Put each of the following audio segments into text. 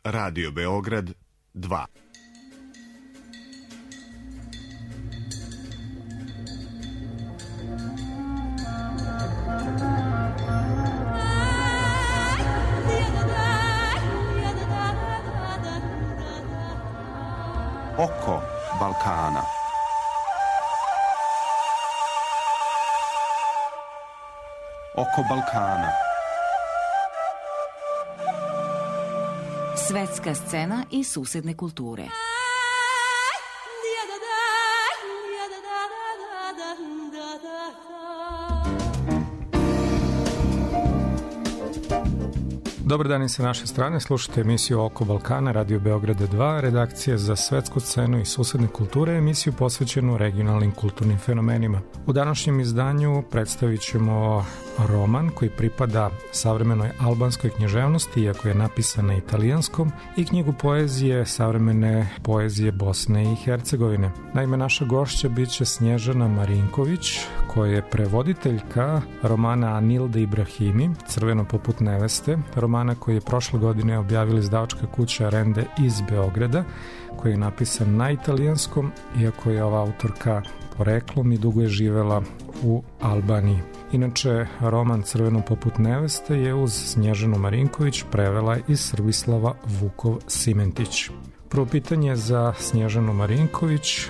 Radio Beograd 2. Oko Balkana. Oko Balkana. Svetska scena i susedne kulture. Dobar dan i sa naše strane, slušate emisiju Oko Balkana, Radio Beograda 2, redakcija za svetsku scenu i susedne kulture, emisiju posvećenu regionalnim kulturnim fenomenima. U današnjem izdanju predstavit ćemo roman koji pripada savremenoj albanskoj književnosti, iako je napisan na italijanskom, i knjigu poezije savremene poezije Bosne i Hercegovine. Naime, naša gošća biće Snježana Marinković, koja je prevoditeljka romana Anilde Ibrahimi, Crveno poput neveste, romana koji je prošle godine objavila izdavačka kuća Rende iz Beograda, koji je napisan na italijanskom, iako je ova autorka poreklom i dugo je živela u Albaniji. Inače, roman Crveno poput neveste je uz Snježanu Marinković prevela i Srbislava Vukov-Simentić. Prvo pitanje za Snježanu Marinković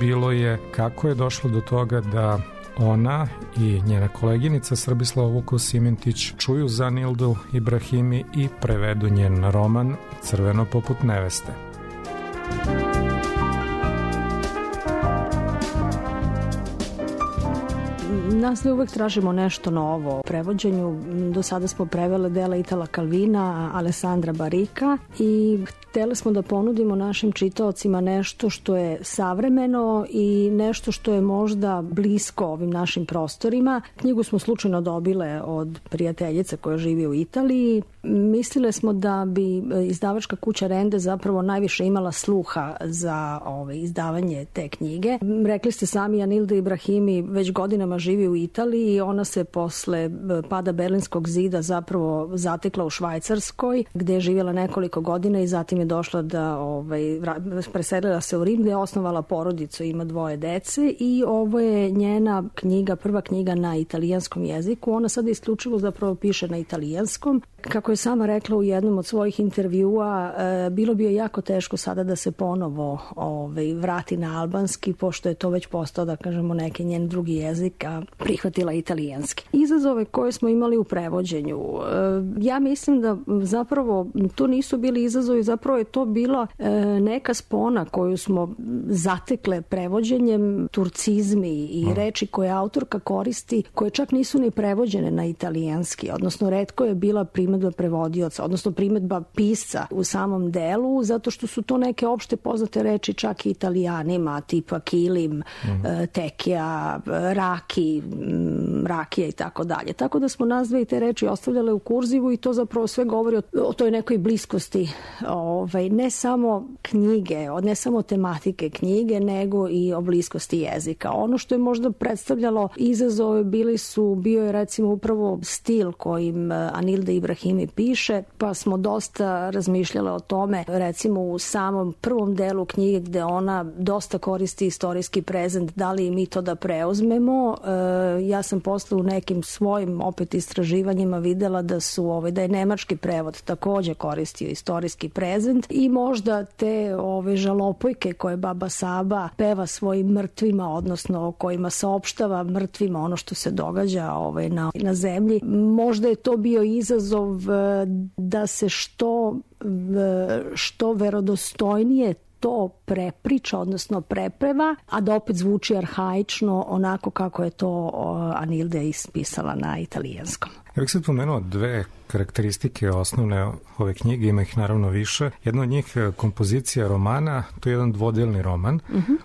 bilo je kako je došlo do toga da ona i njena koleginica Srbislava Vukov-Simentić čuju za Anildu Ibrahimi i prevedu njen roman Crveno poput neveste. Nas uvek tražimo nešto novo u prevođenju. Do sada smo prevele dela Itala Calvina, Alessandra Barika i hteli smo da ponudimo našim čitaocima nešto što je savremeno i nešto što je možda blisko ovim našim prostorima. Knjigu smo slučajno dobile od prijateljice koja živi u Italiji. Mislile smo da bi izdavačka kuća Rende zapravo najviše imala sluha za izdavanje te knjige. Rekli ste sami, Anilda Ibrahimi već godinama živi u Italiji i ona se posle pada Berlinskog zida zapravo zatekla u Švajcarskoj, gde je živjela nekoliko godina i zatim je došla da preselila se u Rim, gde je osnovala porodicu, ima 2 dece i ovo je njena knjiga, prva knjiga na italijanskom jeziku. Ona sada isključivo zapravo piše na italijanskom. Kako je sama rekla u jednom od svojih intervjua, bilo bi je jako teško sada da se ponovo vrati na albanski, pošto je to već postao, da kažemo, neki njen drugi jezik, a prihvatila italijanski. Izazove koje smo imali u prevođenju, ja mislim da zapravo to nisu bili izazovi, zapravo je to bila neka spona koju smo zatekle prevođenjem, turcizmi i reči koje autorka koristi, koje čak nisu ni prevođene na italijanski, odnosno retko je bila primedba prevodioca, odnosno primedba pisca u samom delu, zato što su to neke opšte poznate reči čak i italijanima, tipa kilim, tekija, raki, rakija i tako dalje. Tako da smo nas dve te reči ostavljale u kurzivu i to zapravo sve govori o toj nekoj bliskosti, ne samo knjige, ne samo tematike knjige, nego i o bliskosti jezika. Ono što je možda predstavljalo izazove bio je recimo upravo stil kojim Anilda Ibrahimi piše, pa smo dosta razmišljale o tome, recimo u samom prvom delu knjige gde ona dosta koristi istorijski prezent, da li mi to da preuzmemo. Ja sam posle u nekim svojim opet istraživanjima videla da je nemački prevod takođe koristio istorijski prezent i možda te žalopojke koje baba Saba peva svojim mrtvima, odnosno kojima saopštava mrtvima ono što se događa na zemlji. Možda je to bio izazov da se što verodostojnije to prepriča, odnosno prepeva, a da opet zvuči arhaično, onako kako je to Anilda ispisala na italijanskom. Ja bih sad pomenuo 2 karakteristike osnovne ove knjige, ima ih naravno više. Jedna od njih kompozicija romana, to je jedan dvodelni roman.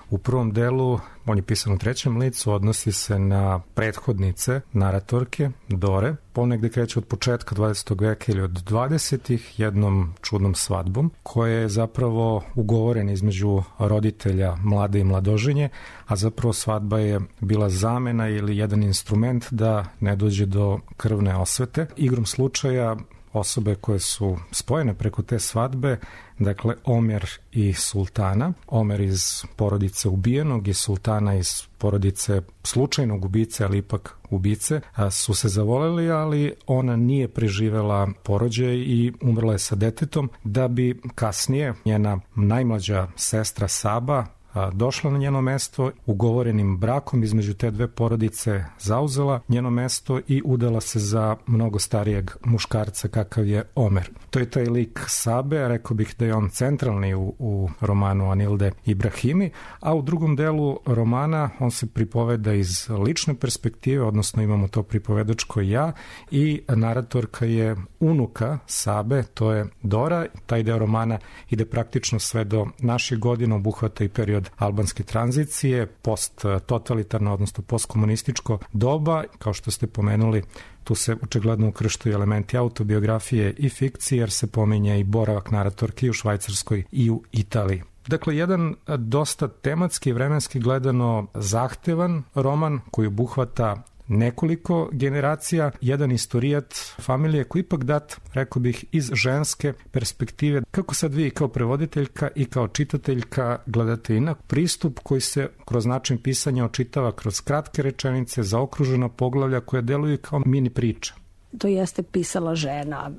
U prvom delu, on je pisan u 3. licu, odnosi se na prethodnice, naratorke, Dore, ponegde kreće od početka 20. veka ili od 20. jednom čudnom svadbom, koja je zapravo ugovorena između roditelja mlade i mladoženje, a zapravo svadba je bila zamena ili jedan instrument da ne dođe do krvne osvete. Igrom slučaja osobe koje su spojene preko te svadbe, dakle Omer i Sultana. Omer iz porodice ubijenog i Sultana iz porodice slučajnog ubice, ali ipak ubice, su se zavoleli, ali ona nije preživela porođaj i umrla je sa detetom, da bi kasnije njena najmlađa sestra Saba došla na njeno mesto, ugovorenim brakom između te dve porodice zauzela njeno mesto i udala se za mnogo starijeg muškarca kakav je Omer. To je taj lik Sabe, rekao bih da je on centralni u romanu Anilde Ibrahimi, a u drugom delu romana on se pripoveda iz lične perspektive, odnosno imamo to pripovedačko ja i naratorka je unuka Sabe, to je Dora. Taj deo romana ide praktično sve do naših godina, obuhvata i period albanske tranzicije, post-totalitarno, odnosno postkomunističko doba. Kao što ste pomenuli, tu se očigledno ukrštaju elementi autobiografije i fikcije, jer se pominje i boravak naratorke i u Švajcarskoj i u Italiji. Dakle, jedan dosta tematski i vremenski gledano zahtevan roman koji obuhvata nekoliko generacija, jedan istorijat familije koji ipak dat, rekao bih, iz ženske perspektive. Kako sad vi kao prevoditeljka i kao čitateljka gledate inak pristup koji se kroz način pisanja očitava kroz kratke rečenice, zaokružena poglavlja koje deluju kao mini priča? To jeste pisala žena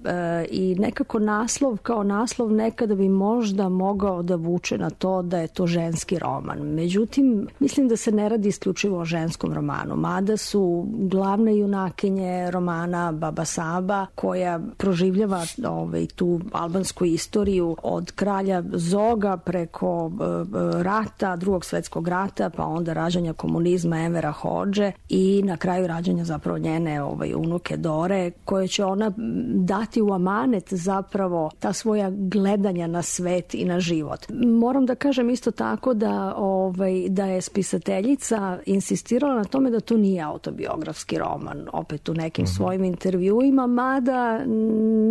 i nekako naslov kao naslov nekada bi možda mogao da vuče na to da je to ženski roman. Međutim, mislim da se ne radi isključivo o ženskom romanu, mada su glavne junakinje romana Baba Saba, koja proživljava tu albansku istoriju od kralja Zoga preko rata, Drugog svetskog rata, pa onda rađanja komunizma Envera Hodže i na kraju rađanja zapravo njene unuke Dore, koje će ona dati u amanet zapravo ta svoja gledanja na svet i na život. Moram da kažem isto tako da je spisateljica insistirala na tome da to nije autobiografski roman, opet u nekim svojim intervjuima, mada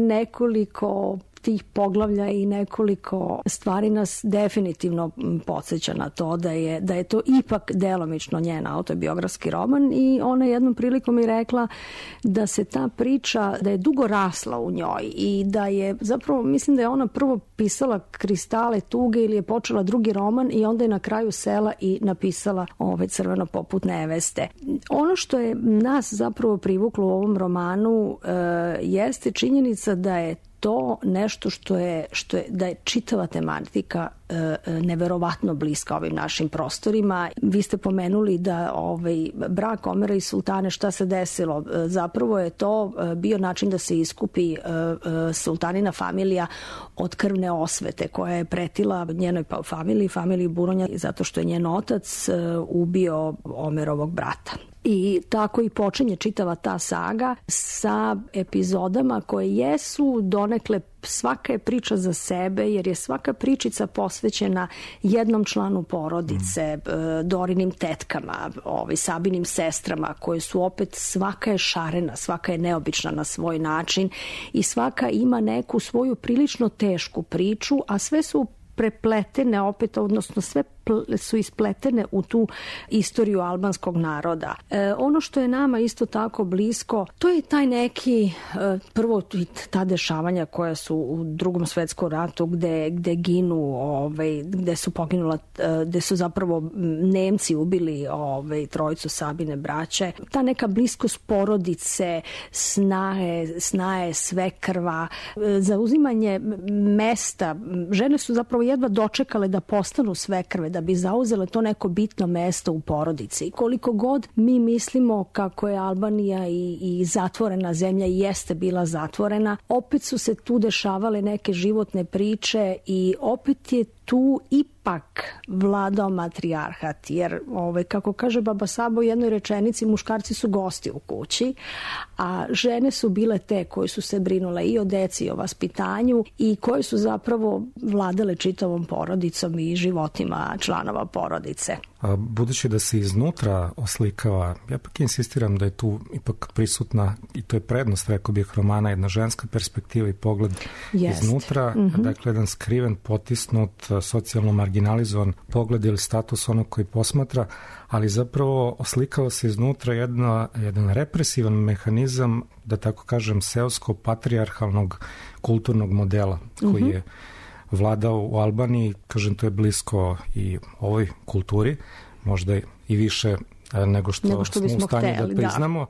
nekoliko tih poglavlja i nekoliko stvari nas definitivno podsjeća na to da je to ipak delomično njen autobiografski roman i ona jednom prilikom i rekla da se ta priča, da je dugo rasla u njoj i da je zapravo, mislim da je ona prvo pisala Kristale tuge ili je počela drugi roman i onda je na kraju sela i napisala Crveno poput neveste. Ono što je nas zapravo privuklo u ovom romanu jeste činjenica da je to nešto da je čitava tematika neverovatno bliska ovim našim prostorima. Vi ste pomenuli da brak Omera i Sultane, šta se desilo? Zapravo je to bio način da se iskupi sultanina familija od krvne osvete koja je pretila njenoj familiji Buronja, zato što je njen otac ubio Omerovog brata. I tako i počinje čitava ta saga sa epizodama koje jesu donekle, svaka je priča za sebe, jer je svaka pričica posvećena jednom članu porodice, Dorinim tetkama, Sabinim sestrama, koje su opet, svaka je šarena, svaka je neobična na svoj način i svaka ima neku svoju prilično tešku priču, a sve su prepletene opet, odnosno sve su ispletene u tu istoriju albanskog naroda. Ono što je nama isto tako blisko, to je taj neki, prvo ta dešavanja koja su u Drugom svetskom ratu gde ginu, gde su poginula, gde su zapravo Nemci ubili trojicu Sabine braće. Ta neka bliskost porodice, snaje, svekrva, zauzimanje mesta. Žene su zapravo jedva dočekale da postanu svekrve, da bi zauzele to neko bitno mesto u porodici. Koliko god mi mislimo kako je Albanija i zatvorena zemlja i jeste bila zatvorena, opet su se tu dešavale neke životne priče i opet je tu ipak vladao matrijarhat, jer kako kaže Baba Saba u jednoj rečenici, muškarci su gosti u kući, a žene su bile te koje su se brinule i o deci i o vaspitanju i koje su zapravo vladale čitavom porodicom i životima članova porodice. budući da se iznutra oslikava, ja pak insistiram da je tu ipak prisutna, i to je prednost, rekao bih, romana, jedna ženska perspektiva i pogled iznutra, dakle jedan skriven, potisnut, socijalno marginalizovan pogled ili status onog koji posmatra, ali zapravo oslikava se iznutra jedan represivan mehanizam, da tako kažem, seosko-patrijarhalnog kulturnog modela koji je vladao u Albaniji. Kažem, to je blisko i ovoj kulturi, možda i više nego što smo u stanju da priznamo,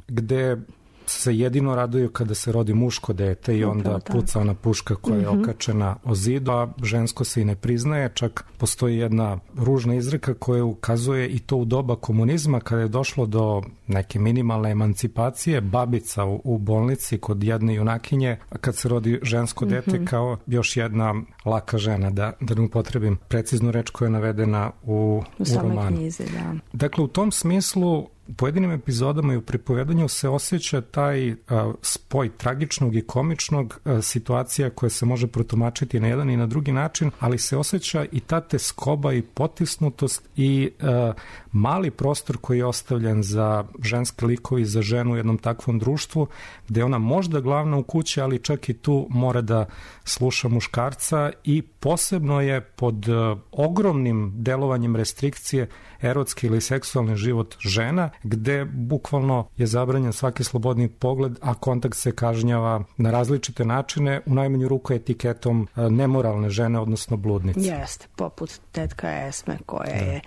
gde se jedino raduju kada se rodi muško dete i onda puca ona puška koja je okačena o zidu, a žensko se i ne priznaje. Čak postoji jedna ružna izreka koja ukazuje i to u doba komunizma, kada je došlo do neke minimalne emancipacije, babica u bolnici kod jedne junakinje, kad se rodi žensko dete kao još jedna laka žena, da ne upotrebim preciznu reč koja je navedena u romanu. Knjizi, da. Dakle, u tom smislu u pojedinim epizodama i u pripovedanju se osjeća taj spoj tragičnog i komičnog, situacija koja se može protumačiti na jedan i na drugi način, ali se osjeća i ta teskoba i potisnutost i mali prostor koji je ostavljen za ženske likove i za ženu u jednom takvom društvu, gde ona možda glavna u kući, ali čak i tu mora da sluša muškarca i posebno je pod ogromnim delovanjem restrikcije erotski ili seksualni život žena, gde bukvalno je zabranjen svaki slobodni pogled, a kontakt se kažnjava na različite načine, u najmanju ruku etiketom nemoralne žene, odnosno bludnice. Jeste, poput tetka Esme koja je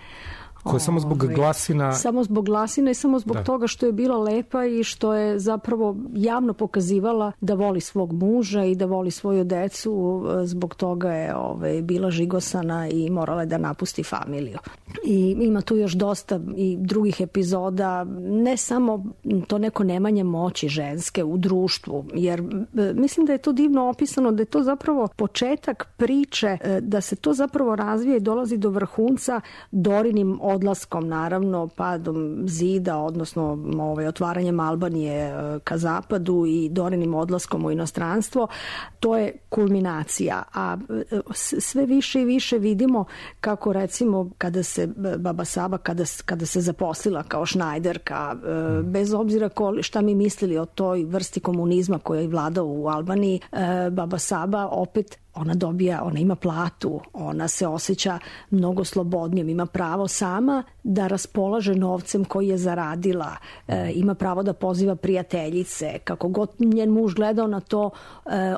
koja samo zbog glasina... Samo zbog glasina i samo zbog toga što je bila lepa i što je zapravo javno pokazivala da voli svog muža i da voli svoju decu, zbog toga je bila žigosana i morala je da napusti familiju. I ima tu još dosta i drugih epizoda, ne samo to neko nemanje moći ženske u društvu, jer mislim da je to divno opisano, da je to zapravo početak priče, da se to zapravo razvija i dolazi do vrhunca Dorinim odlaskom, naravno, padom zida, odnosno otvaranjem Albanije ka zapadu i Dorinim odlaskom u inostranstvo. To je kulminacija, a sve više i više vidimo kako, recimo, kada se Baba Saba, kada se zaposlila kao šnajderka, bez obzira šta mi mislili o toj vrsti komunizma koja je vladao u Albaniji, Baba Saba opet ona ima platu, ona se osjeća mnogo slobodnijom, ima pravo sama da raspolaže novcem koji je zaradila, ima pravo da poziva prijateljice, kako god njen muž gledao na to,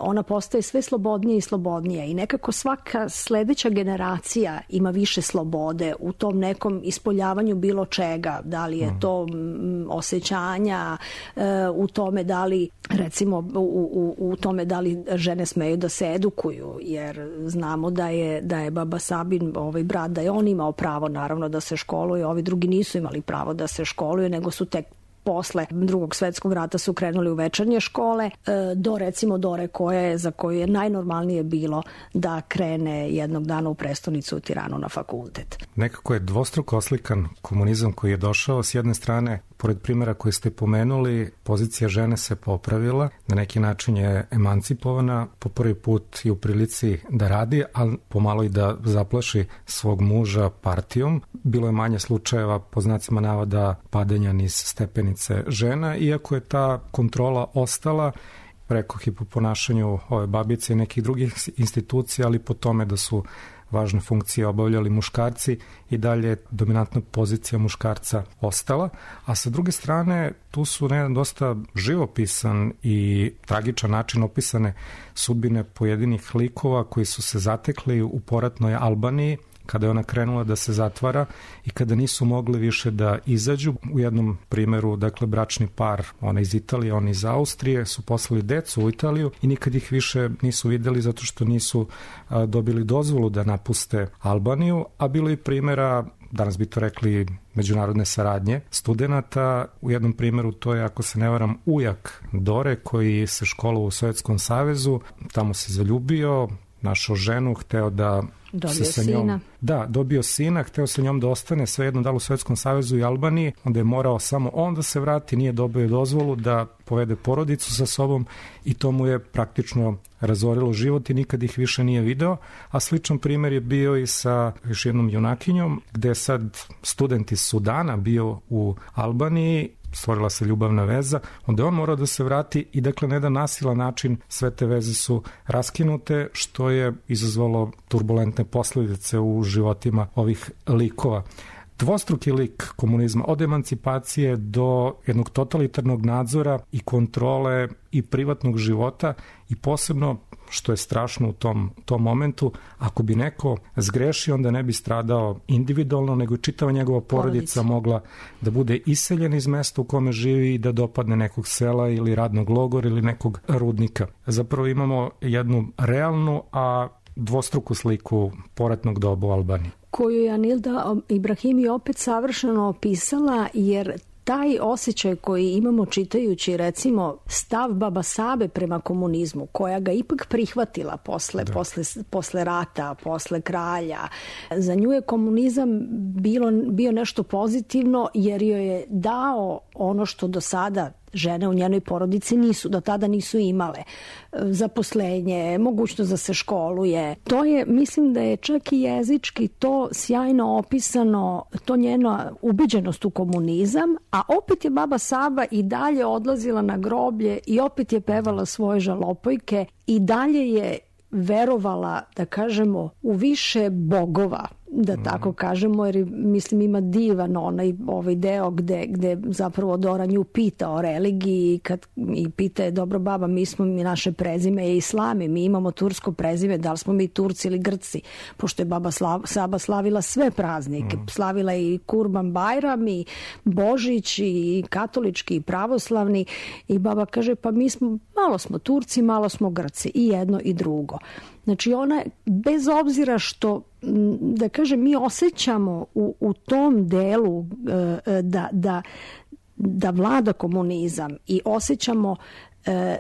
ona postaje sve slobodnije i slobodnije i nekako svaka sledeća generacija ima više slobode u tom nekom ispoljavanju bilo čega, da li je to osjećanja, u tome da li, recimo, u tome da li žene smeju da se edukuju, jer znamo da je Baba Sabin, brat, da je on imao pravo naravno da se školuje, ovi drugi nisu imali pravo da se školuje, nego su tek posle Drugog svetskog rata su krenuli u večernje škole, do recimo Dore za koju je najnormalnije bilo da krene jednog dana u prestonicu u Tiranu na fakultet. Nekako je dvostruko oslikan komunizam koji je došao. S jedne strane, pored primjera koje ste pomenuli, pozicija žene se popravila, na neki način je emancipovana, po prvi put i u prilici da radi, ali pomalo i da zaplaši svog muža partijom. Bilo je manje slučajeva, po znacima navoda, padanja niz stepenice žena, iako je ta kontrola ostala, rekoh i po ponašanju ove babice i nekih drugih institucija, ali po tome da su važne funkcije obavljali muškarci i dalje dominantna pozicija muškarca ostala, a sa druge strane tu su na jedan dosta živopisan i tragičan način opisane sudbine pojedinih likova koji su se zatekli u poratnoj Albaniji kada je ona krenula da se zatvara i kada nisu mogli više da izađu. U jednom primjeru, dakle, bračni par, ona iz Italije, ona iz Austrije, su poslali decu u Italiju i nikad ih više nisu videli zato što nisu dobili dozvolu da napuste Albaniju, a bilo i primjera, danas bi to rekli, međunarodne saradnje studenata. U jednom primjeru to je, ako se ne varam, ujak Dore koji se školovao u Sovjetskom savezu, tamo se zaljubio, našao ženu, hteo da dobio se sa njom... sina. Da, dobio sina, hteo sa njom da ostane svejedno da li u Svetskom savezu i Albaniji, onda je morao samo on da se vrati, nije dobio dozvolu da povede porodicu sa sobom i to mu je praktično razorilo život i nikad ih više nije video, a sličan primjer je bio i sa još jednom junakinjom, gde je sad student iz Sudana bio u Albaniji, stvorila se ljubavna veza, onda je on morao da se vrati i dakle na jedan nasilan način sve te veze su raskinute, što je izazvalo turbulentne posledice u životima ovih likova. Dvostruki lik komunizma, od emancipacije do jednog totalitarnog nadzora i kontrole i privatnog života i posebno, što je strašno u tom momentu, ako bi neko zgrešio, onda ne bi stradao individualno, nego čitava njegova porodica mogla da bude iseljena iz mesta u kome živi i da dopadne nekog sela ili radnog logora ili nekog rudnika. Zapravo imamo jednu realnu, a dvostruku sliku poratnog doba u Albaniji, koju je Anilda Ibrahimi opet savršeno opisala, jer taj osjećaj koji imamo čitajući recimo stav Baba Sabe prema komunizmu, koja ga ipak prihvatila posle rata, posle kralja, za nju je komunizam bio nešto pozitivno jer joj je dao ono što do sada žene u njenoj porodici do tada nisu imale. Zaposlenje, mogućnost da se školuje. To je, mislim da je čak i jezički to sjajno opisano, to njena ubeđenost u komunizam, a opet je Baba Saba i dalje odlazila na groblje i opet je pevala svoje žalopojke i dalje je verovala, da kažemo, u više bogova, da tako kažemo, jer mislim ima divan ovaj deo gde zapravo Dora nju pita o religiji i pita je, dobro baba, mi naše prezime je Islami, mi imamo tursko prezime, da li smo mi Turci ili Grci, pošto je Baba Saba slavila sve praznike, slavila i Kurban Bajram i Božić i katolički i pravoslavni i baba kaže, pa mi malo smo Turci, malo smo Grci, i jedno i drugo. Znači ona, bez obzira što, da kažem, mi osjećamo u tom delu da vlada komunizam i osjećamo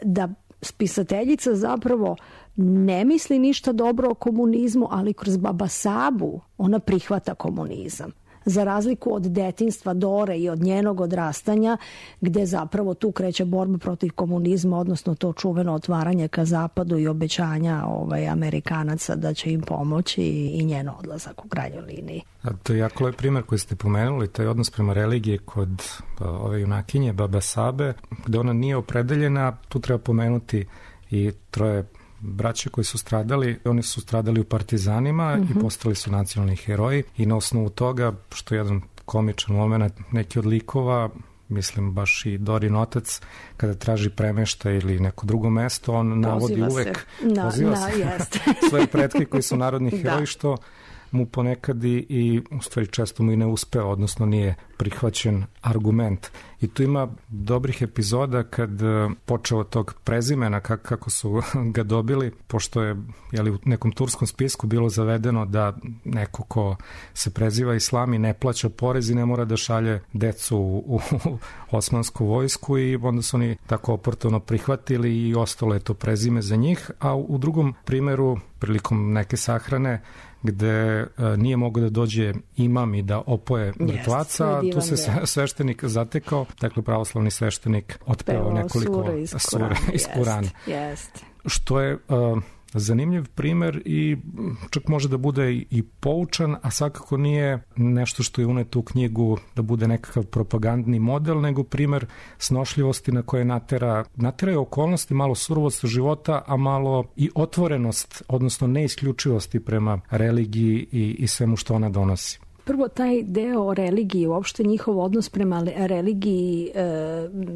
da spisateljica zapravo ne misli ništa dobro o komunizmu, ali kroz Baba Sabu ona prihvata komunizam. Za razliku od detinjstva Dore i od njenog odrastanja, gde zapravo tu kreće borba protiv komunizma, odnosno to čuveno otvaranje ka zapadu i obećanja Amerikanaca da će im pomoći i njen odlazak u krajnjoj liniji. A to je jako lep primjer koji ste pomenuli, taj odnos prema religiji kod ove junakinje, Baba Sabe, gde ona nije opredeljena. Tu treba pomenuti i troje braće koji su stradali, oni su stradali u partizanima i postali su nacionalni heroji i na osnovu toga, što je jedan komičan moment, neki od likova, mislim baš i Dorin otac, kada traži premeštaj ili neko drugo mesto, on navodi uvek svoje pretke koji su narodni heroji, što mu ponekad i u stvari često mu i ne uspeo, odnosno nije prihvaćen argument. I tu ima dobrih epizoda kad počeo od tog prezimena, kako su ga dobili, pošto je u nekom turskom spisku bilo zavedeno da neko ko se preziva Islami ne plaća porez i ne mora da šalje decu u osmansku vojsku, i onda su oni tako oportuno prihvatili i ostalo je to prezime za njih. A u drugom primeru, prilikom neke sahrane, gde nije mogao da dođe imam i da opoje mrtvaca, tu se sveštenik zatekao, dakle pravoslavni sveštenik otpevao nekoliko sure iz Kurana. Što je zanimljiv primer i čak može da bude i poučan, a svakako nije nešto što je uneto u knjigu da bude nekakav propagandni model, nego primer snošljivosti na koje nateraju okolnosti, malo surovost života, a malo i otvorenost, odnosno neisključivosti prema religiji i svemu što ona donosi. Prvo, taj deo o religiji, uopšte njihov odnos prema religiji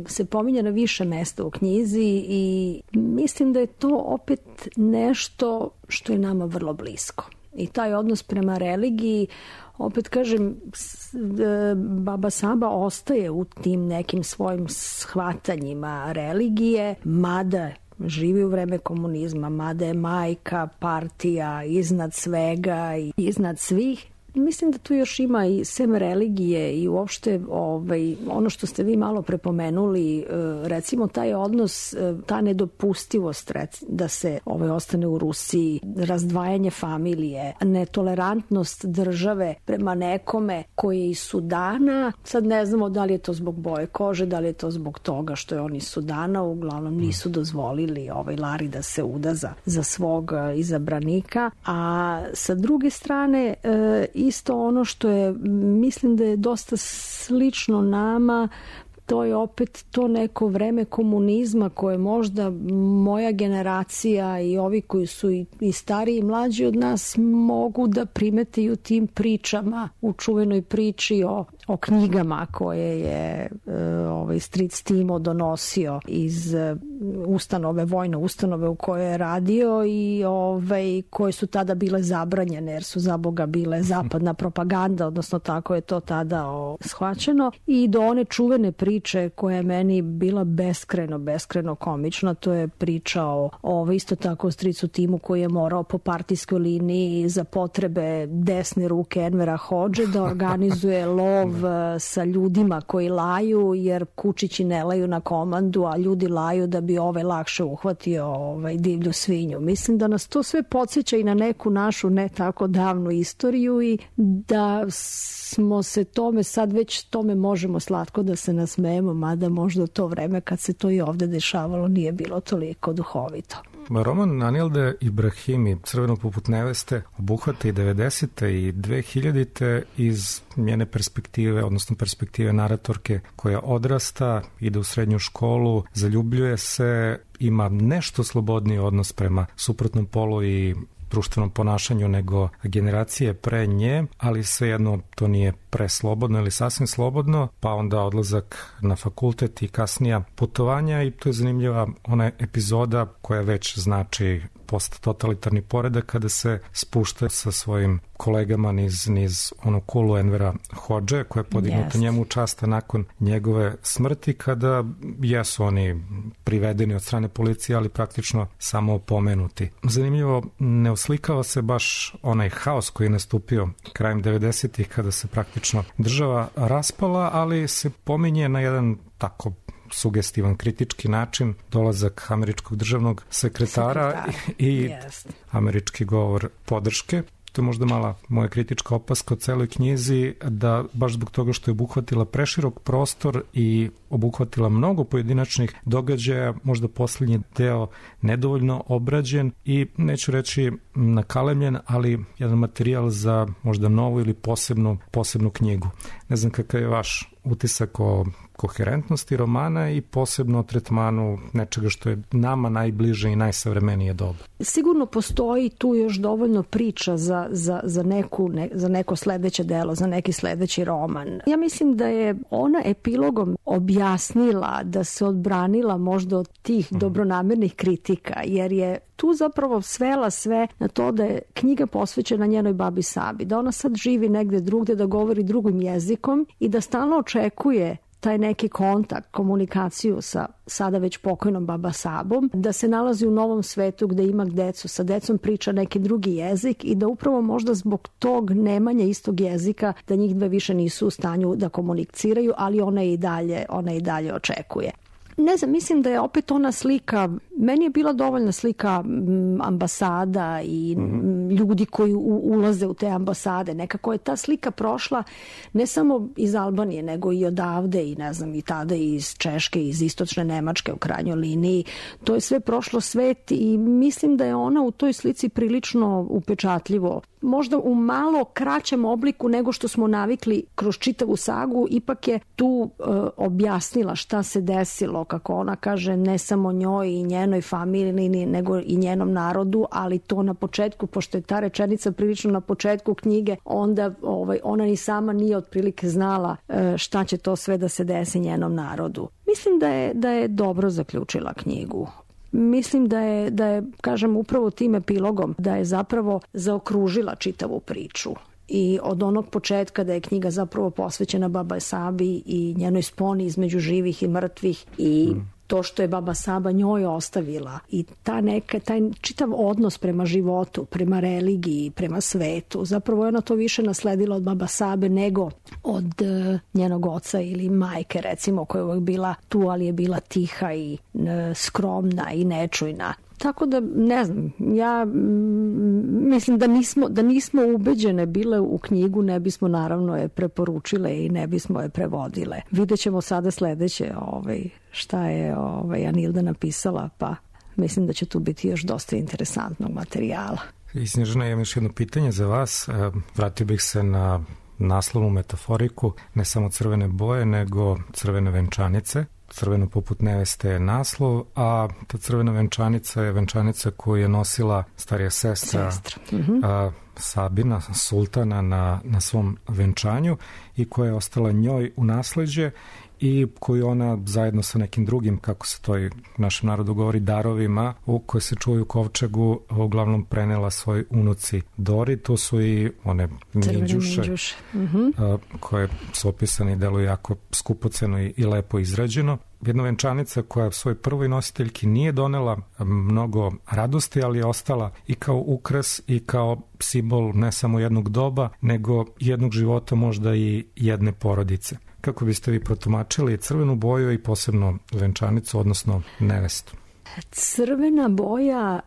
se pominje na više mesta u knjizi i mislim da je to opet nešto što je nama vrlo blisko. I taj odnos prema religiji, opet kažem, Baba Saba ostaje u tim nekim svojim shvatanjima religije, mada živi u vreme komunizma, mada je majka, partija iznad svega i iznad svih. mislim da tu još ima i sem religije i uopšte ono što ste vi malo prepomenuli, recimo taj odnos, ta nedopustivost da se ostane u Rusiji, razdvajanje familije, netolerantnost države prema nekome koji je iz Sudana. Sad ne znamo da li je to zbog boje kože, da li je to zbog toga što je on iz Sudana, uglavnom nisu dozvolili Lari da se uda za svog izabranika. A sa druge strane, isto ono što je, mislim da je dosta slično nama, to je opet to neko vreme komunizma koje možda moja generacija i ovi koji su i stariji i mlađi od nas mogu da primete i u tim pričama, u čuvenoj priči o knjigama koje je stric Timo donosio iz vojne ustanove u kojoj je radio i koje su tada bile zabranjene jer su za Boga bile zapadna propaganda, odnosno tako je to tada shvaćeno, i do one čuvene priče koja je meni bila beskreno komična, to je priča o isto tako stricu Timu koji je morao po partijskoj liniji za potrebe desne ruke Envera Hodže da organizuje lov sa ljudima koji laju, jer kučići ne laju na komandu, a ljudi laju da bi lakše uhvatio divlju svinju. Mislim da nas to sve podsjeća i na neku našu ne tako davnu istoriju i da smo se tome možemo slatko da se nasmejemo, mada možda u to vreme kad se to i ovde dešavalo nije bilo toliko duhovito. Roman Anilde Ibrahimi, Crveno poput neveste, obuhvata i 90. i 2000. iz njene perspektive, odnosno perspektive naratorke koja odrasta, ide u srednju školu, zaljubljuje se, ima nešto slobodniji odnos prema suprotnom polu i društvenom ponašanju nego generacije pre nje, ali svejedno to nije preslobodno ili sasvim slobodno, pa onda odlazak na fakultet i kasnija putovanja, i to je zanimljiva ona epizoda koja već znači posttotalitarni poredak kada se spušta sa svojim kolegama niz onu kulu Envera Hodže koja je podignuta njemu u časta nakon njegove smrti, kada jesu oni privedeni od strane policije, ali praktično samo opomenuti. Zanimljivo, ne oslikava se baš onaj haos koji je nastupio krajem 90-ih kada se praktično država raspala, ali se pominje na jedan tako sugestivan, kritički način dolazak američkog državnog sekretara i američki govor podrške. To je možda mala moja kritička opaska o celoj knjizi, da baš zbog toga što je obuhvatila preširok prostor i obuhvatila mnogo pojedinačnih događaja, možda posljednji deo nedovoljno obrađen i neću reći nakalemljen, ali jedan materijal za možda novu ili posebnu knjigu. Ne znam kakav je vaš utisak o koherentnosti romana i posebno o tretmanu nečega što je nama najbliže i najsavremenije doba. Sigurno postoji tu još dovoljno priča za neko sledeće delo, za neki sledeći roman. Ja mislim da je ona epilogom objasnila da se odbranila možda od tih dobronamernih kritika, jer je tu zapravo svela sve na to da je knjiga posvećena njenoj babi Sabi, da ona sad živi negde drugde, da govori drugim jezikom i da stalno očekuje taj neki kontakt, komunikaciju sa sada već pokojnom baba Sabom, da se nalazi u novom svetu gde ima decu, sa decom priča neki drugi jezik i da upravo možda zbog tog nemanja istog jezika da njih dve više nisu u stanju da komuniciraju, ali ona i dalje očekuje. Ne znam, mislim da je opet ona slika, meni je bila dovoljna slika ambasada i ljudi koji ulaze u te ambasade. Nekako je ta slika prošla ne samo iz Albanije, nego i odavde i ne znam, i tada iz Češke, iz istočne Nemačke u krajnjoj liniji. To je sve prošlo svet i mislim da je ona u toj slici prilično upečatljivo. Možda u malo kraćem obliku nego što smo navikli kroz čitavu sagu, ipak je tu objasnila šta se desilo, kako ona kaže, ne samo njoj i njenoj familiji, nego i njenom narodu, ali to na početku, pošto je ta rečenica prilično na početku knjige, onda ona ni sama nije otprilike znala šta će to sve da se desi njenom narodu. Mislim da je dobro zaključila knjigu. Mislim da je, kažem, upravo tim epilogom, da je zapravo zaokružila čitavu priču. I od onog početka da je knjiga zapravo posvećena baba Sabi i njenoj sponi između živih i mrtvih i to što je baba Saba njoj ostavila i taj čitav odnos prema životu, prema religiji, prema svetu, zapravo je ona to više nasledila od baba Sabe nego od njenog oca ili majke, recimo, koja je uvek bila tu, ali je bila tiha i skromna i nečujna. Tako da, ne znam, ja mislim da nismo ubeđene bile u knjigu, ne bismo naravno je preporučile i ne bismo je prevodile. Videćemo sada sledeće šta je Anilda napisala, pa mislim da će tu biti još dosta interesantnog materijala. I Snježana, imam još jedno pitanje za vas. Vratio bih se na naslovnu metaforiku, ne samo crvene boje, nego crvene venčanice. Crveno poput neveste je naslov, a ta crvena venčanica je venčanica koju je nosila starija sestra Sabina, sultana, na svom venčanju i koja je ostala njoj u nasleđe i koju ona zajedno sa nekim drugim, kako se to i našem narodu govori, darovima koje se čuvaju u kovčegu, uglavnom prenela svoj unuci Dori. To su i one minđuše koje su opisane i deluju jako skupoceno i lepo izrađeno. Jedna venčanica koja svoj prvoj nositeljki nije donela mnogo radosti, ali je ostala i kao ukras i kao simbol ne samo jednog doba, nego jednog života, možda i jedne porodice. Kako biste vi protumačili crvenu boju i posebno venčanicu, odnosno nevestu? Crvena boja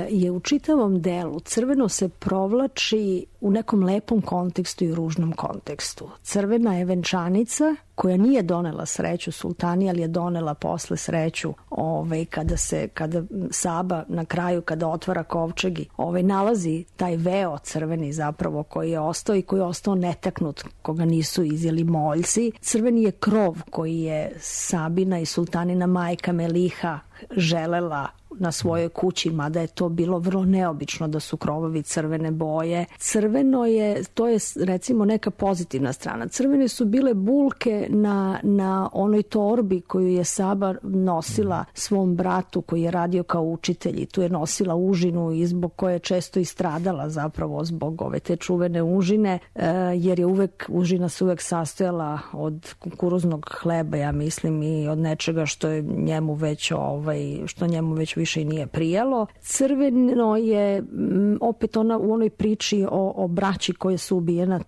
je u čitavom delu. Crveno se provlači u nekom lepom kontekstu i ružnom kontekstu. Crvena je venčanica koja nije donela sreću sultani, ali je donela posle sreću kada Saba na kraju, kada otvara kovčeg, nalazi taj veo crveni zapravo koji je ostao i koji je ostao netaknut, koga nisu izjeli moljci. Crveni je krov koji je Sabina i sultanina majka Meliha želela na svojoj kući, mada je to bilo vrlo neobično da su krovovi crvene boje. Crveno je, to je recimo neka pozitivna strana. Crvene su bile bulke na onoj torbi koju je Saba nosila svom bratu koji je radio kao učitelj i tu je nosila užinu i zbog koje je često i stradala zapravo zbog te čuvene užine, jer je užina se uvek sastojala od kukuruznog hleba, ja mislim, i od nečega što je njemu već više i nije prijalo. Crveno je opet ona u onoj priči o braći koje su ubijena,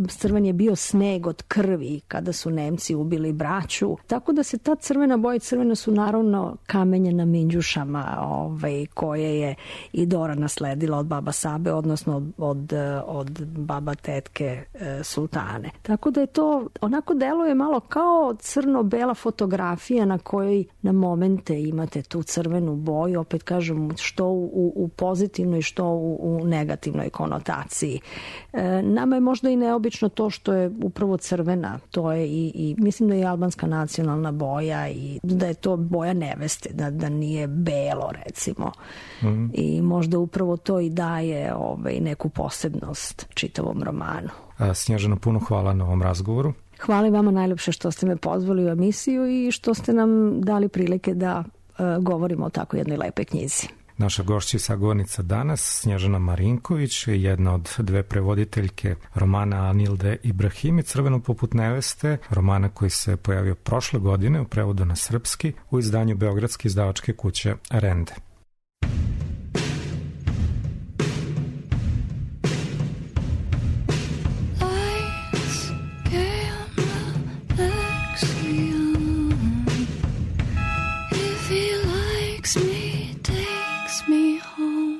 crven je bio sneg od krvi kada su Nemci ubili braću. Tako da se ta crvena boja, crvena su naravno kamenje na minđušama koje je i Dora nasledila od baba Sabe, odnosno od baba tetke sultane. Tako da je to, onako deluje malo kao crno-bela fotografija na kojoj na momente imate tu crvenu boju, opet kažem, što u pozitivnoj, što u negativnoj konotaciji. Nama je možda i neobično to što je upravo crvena, to je i mislim da je albanska nacionalna boja i da je to boja neveste, da nije belo, recimo. I možda upravo to i daje neku posebnost čitavom romanu. Snježana, puno hvala na ovom razgovoru. Hvala vama najljepše što ste me pozvali u emisiju i što ste nam dali prilike da govorimo o tako jednoj lepe knjizi. Naša gošća i sagovornica danas, Snježana Marinković, je jedna od dve prevoditeljke romana Anilde Ibrahimi, Crveno poput neveste, romana koji se pojavio prošle godine u prevodu na srpski u izdanju beogradske izdavačke kuće Rende. Takes me home.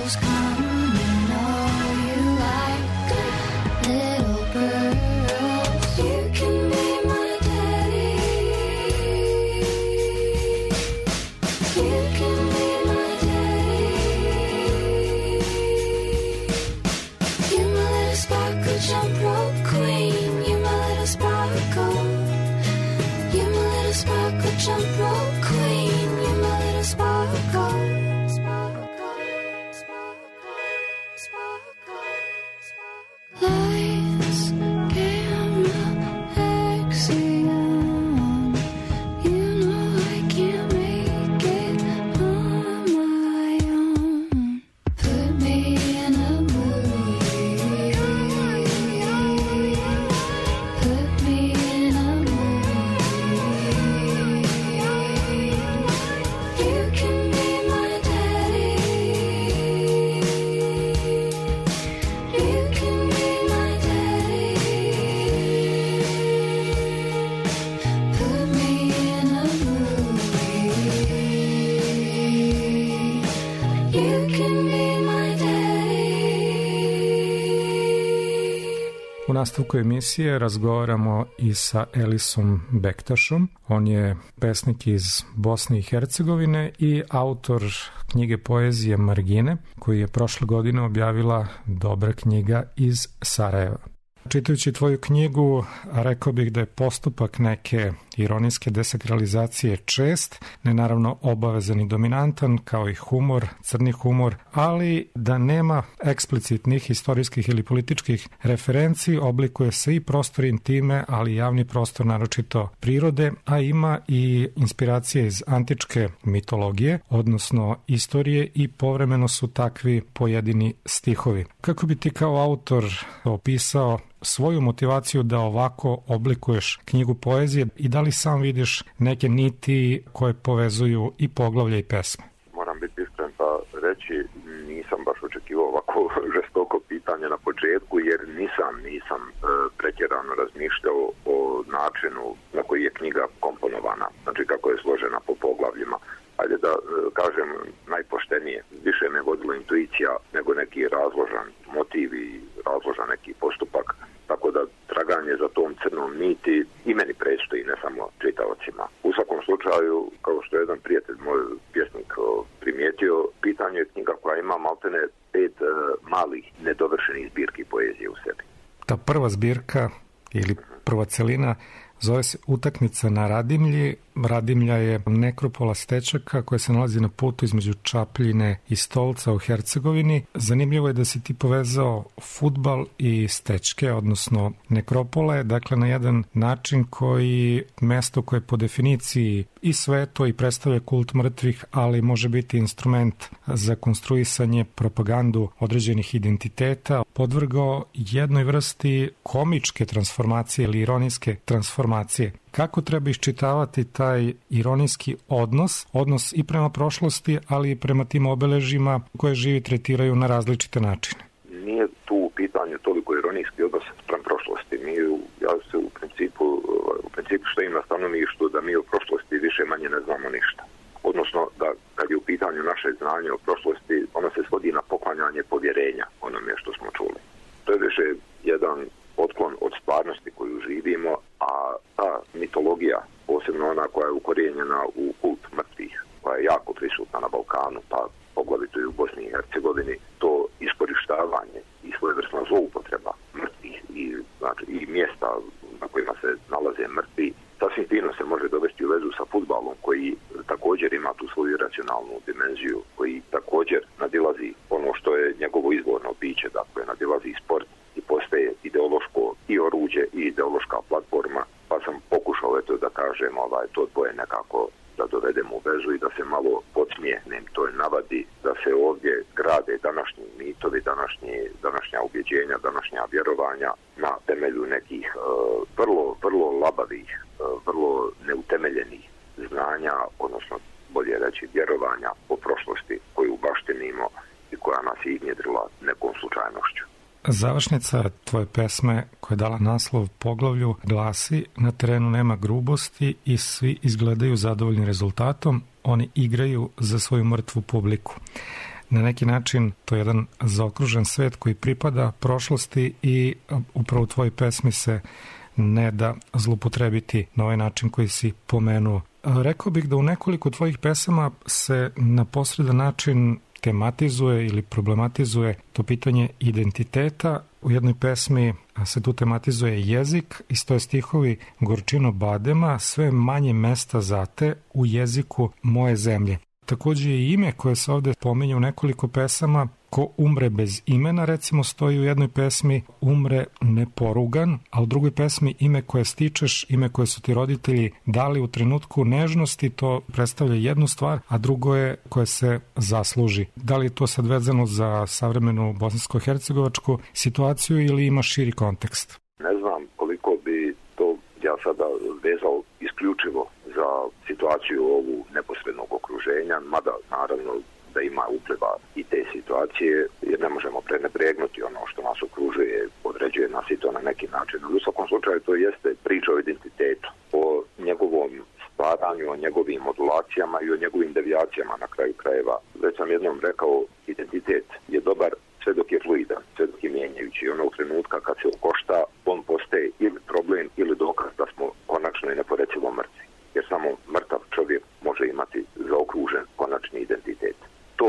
shadows come and all you like little girls. You can be my daddy. You can be my daddy. You're my little sparkle jump rope queen. You're my little sparkle. You're my little sparkle jump rope queen. You're my little sparkle. Lights, camera, action. You know I can't make it on my own. Put me in a movie. Put me in a movie. You can be my daddy. You can be my daddy. Put me in a movie. You can be my daddy. U nastavku emisije razgovaramo i sa Elisom Bektašom. On je pesnik iz Bosne i Hercegovine i autor knjige poezije Margine, koju je prošle godine objavila Dobra knjiga iz Sarajeva. Čitajući tvoju knjigu, rekao bih da je postupak neke ironijske desakralizacije čest, ne naravno obavezan i dominantan, kao i humor, crni humor, ali da nema eksplicitnih istorijskih ili političkih referenci, oblikuje se i prostor intime, ali i javni prostor, naročito prirode, a ima i inspiracije iz antičke mitologije, odnosno istorije, i povremeno su takvi pojedini stihovi. Kako bi ti kao autor opisao svoju motivaciju da ovako oblikuješ knjigu poezije i da li sam vidiš neke niti koje povezuju i poglavlja i pesme? Moram biti iskren pa reći, nisam baš očekivao ovako žestoko pitanje na početku, jer nisam pretjerano razmišljao o načinu na koji je knjiga komponovana, znači kako je složena po poglavljima. Ajde da kažem najpoštenije, više me vodila intuicija nego neki razložan motiv i razložan neki postupak, tako da traganje za tom crnom niti i meni predstoji, ne samo čitaocima. U svakom slučaju, kao što je jedan prijatelj, moj pjesnik, primijetio, pitanje je knjiga koja ima maltene 5 malih nedovršenih zbirki poezije u sebi. Ta prva zbirka ili prva celina zove se Utakmica na Radimlji. Radimlja je nekropola Stečaka koja se nalazi na putu između Čapljine i Stolca u Hercegovini. Zanimljivo je da si ti povezao fudbal i Stečke, odnosno nekropole, dakle na jedan način koji mesto koje po definiciji i sveto i predstavlja kult mrtvih, ali može biti instrument za konstruisanje, propagandu određenih identiteta, podvrgao jednoj vrsti komičke transformacije ili ironijske transformacije. Kako treba iščitavati taj ironijski odnos i prema prošlosti, ali i prema tim obeležima koje živi tretiraju na različite načine? Nije tu u pitanju toliko ironijski odnos prema prošlosti. Ja se u principu stojim na stanovištu da mi o prošlosti više manje ne znamo ništa. Odnosno da kad je u pitanju naše znanje o prošlosti, ono se svodi na poklanjanje povjerenja onome što smo čuli. To je više jedan otklon od stvarnosti koju živimo, a ta mitologija, posebno ona koja je ukorijenjena u kult mrtvih, koja je jako prisutna na Balkanu, pa poglavito i u Bosni i Hercegovini, to iskorištavanje i svojevrsna zloupotreba mrtvih i mjesta na kojima se nalaze mrtvi, sasvim fino se može dovesti u vezu sa fudbalom, koji također ima tu svoju racionalnu dimenziju, koji također nadilazi ono što je njegovo izvorno biće, dakle nadilazi sport i postaje ideološko i oruđe i ideološka platforma, pa sam pokušao da kažem to dvoje nekako da dovedem u vezu i da se malo podsmijehnem toj navadi, da se ovdje grade današnji mitovi, današnja ubjeđenja, današnja vjerovanja na temelju nekih vrlo labavih, vrlo neutemeljenih znanja, odnosno bolje reći vjerovanja o prošlosti koju baštinimo i koja nas je iznjedrila nekom slučajnošću. Završnica tvoje pesme koja je dala naslov poglavlju glasi: na terenu nema grubosti i svi izgledaju zadovoljni rezultatom, oni igraju za svoju mrtvu publiku. na neki način to je jedan zaokružen svet koji pripada prošlosti i upravo u tvojoj pesmi se ne da zlupotrebiti na ovaj način koji si pomenuo. Rekao bih da u nekoliko tvojih pesama se na posredan način tematizuje ili problematizuje to pitanje identiteta. U jednoj pesmi se tu tematizuje jezik i stoje stihovi Gorčino badema, sve manje mesta za te u jeziku moje zemlje. Takođe i ime koje se ovde pominje u nekoliko pesama, ko umre bez imena, recimo stoji u jednoj pesmi umre neporugan, a u drugoj pesmi ime koje stičeš, ime koje su ti roditelji dali u trenutku nežnosti, to predstavlja jednu stvar, a drugo je koje se zasluži. Da li je to sad vezano za savremenu bosansko-hercegovačku situaciju ili ima širi kontekst? Ne znam koliko bi to ja sada vezao isključivo za situaciju ovu neposrednog okruženja, mada naravno da ima upliva i te situacije, jer ne možemo prenebregnuti ono što nas okružuje, određuje nas i to na neki način. U svakom slučaju to jeste priča o identitetu, o njegovom stvaranju, o njegovim modulacijama i o njegovim devijacijama na kraju krajeva. Već sam jednom rekao, identitet je dobar sve dok je fluidan, sve dok je mijenjajući. Onog trenutka kad se okošta, on postaje ili problem ili dokaz da smo konačno i neporecivo mrtvi. Jer samo mrtav čovjek može imati zaokružen konačni identitet. To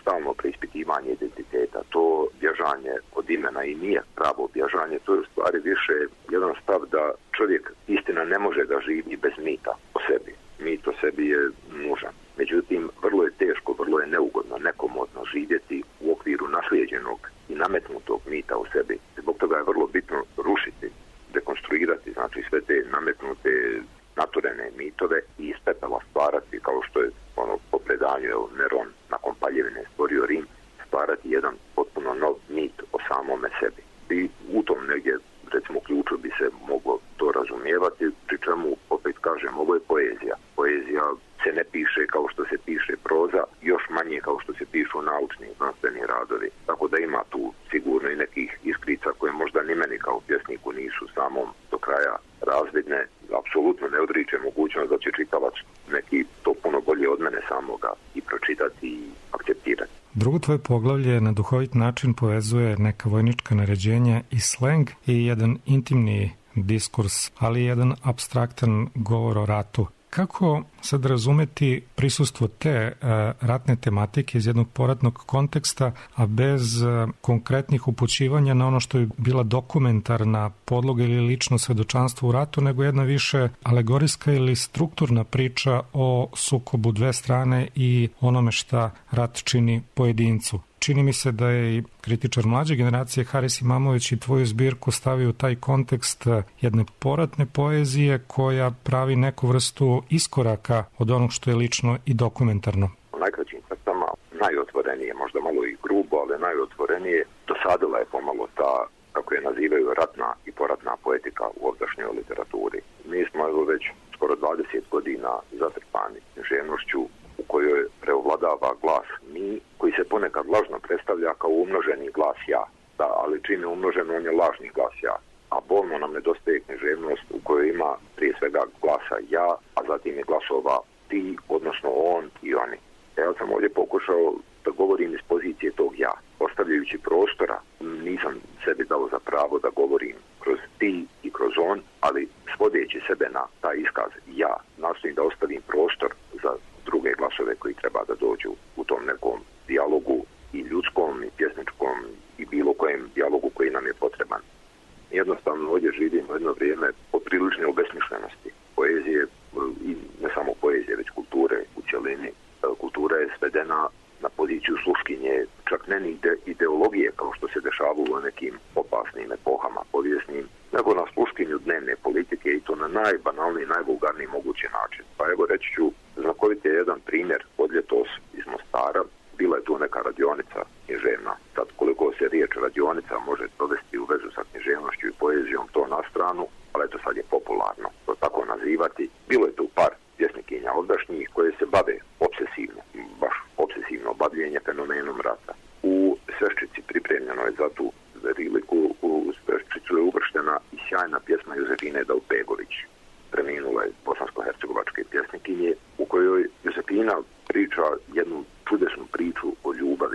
stalno preispitivanje identiteta, to bježanje od imena i nije pravo bježanje, to je u stvari više jedan stav da čovjek istina ne može da živi bez mita o sebi. Mit o sebi je nužan. Međutim, vrlo je teško, vrlo je neugodno, nekomodno živjeti u okviru naslijeđenog i nametnutog mita o sebi. Zbog toga je vrlo bitno rušiti, dekonstruirati, znači sve te nametnute naturene mitove i iz pepela stvarati, kao što je ono po predanju Neron nakon paljevine stvorio Rim, stvarati jedan potpuno nov mit o samome sebi. I u tom negdje, recimo, ključu bi se moglo to razumijevati, pri čemu, opet kažem, ovo je poezija. Poezija se ne piše kao što se piše proza, još manje kao što se pišu naučni znanstveni radovi. Tako da ima tu sigurno i nekih iskrica koje možda ni meni kao pjesniku nisu samom do kraja razvidne. Apsolutno ne odriče mogućnost da će čitavac neki to puno bolje od mene samoga i pročitati i akceptirati. Drugo tvoje poglavlje na duhovit način povezuje neka vojnička naređenja i sleng i jedan intimni diskurs, ali i jedan apstraktan govor o ratu. Kako sad razumeti prisustvo te ratne tematike iz jednog poratnog konteksta, a bez konkretnih upućivanja na ono što je bila dokumentarna podloga ili lično svedočanstvo u ratu, nego jedna više alegorijska ili strukturna priča o sukobu dve strane i onome šta rat čini pojedincu? Čini mi se da je i kritičar mlađe generacije Haris Imamović i tvoju zbirku stavio u taj kontekst jedne poratne poezije koja pravi neku vrstu iskoraka od onog što je lično i dokumentarno. U najkraćim crtama najotvorenije, možda malo i grubo, ali najotvorenije, dosadila je pomalo ta, kako je nazivaju, ratna i poratna poetika u ovdašnjoj literaturi. Mi smo evo već skoro 20 godina zatrpani književnošću u kojoj preovladava glas mi, koji se ponekad lažno predstavlja kao umnoženi glas ja. Da, ali čim je umnožen, on je lažni glas ja. A bolno nam nedostaje književnost u kojoj ima prije svega glasa ja, a zatim je glasova ti, odnosno on i oni. Ja sam ovdje pokušao da govorim iz pozicije tog ja. Ostavljajući prostora, nisam sebi dao za pravo da govorim kroz ti i kroz on, ali svodeći sebe na taj iskaz ja, nastojim da ostavim prostor za druge glasove koji treba da dođu u tom nekom dijalogu i ljudskom i pjesničkom i bilo kojem dijalogu koji nam je potreban. Jednostavno ovdje živimo jedno vrijeme poprilične obesmišljenosti poezije i ne samo poezije, već kulture u cjelini. Kultura je svedena na poziciju sluškinje, čak ne ni ideologije kao što se dešavalo u nekim opasnim epohama povijesnim, nego na sluškinju dnevne politike i to na najbanalniji, najvulgarniji mogući način. Pa evo reći ću, znakovit je jedan primjer od ljetos iz Mostara. Bila je tu neka radionica književna. Sad koliko se riječ radionica može dovesti u vezu sa književnošću i poezijom, to na stranu, ali eto sad je popularno to tako nazivati. Bilo je tu par pjesnikinja ovdašnjih koje se bave obsesivno, baš obsesivno bavljenje fenomenom rata. U Sveščici pripremljeno je za tu priliku, u Sveščicu je uvrštena i sjajna pjesma Josefine Daupegović, preminule bosansko-hercegovačke pjesnikinje, u kojoj Josefina priča jednu čudesnu priču o ljubavi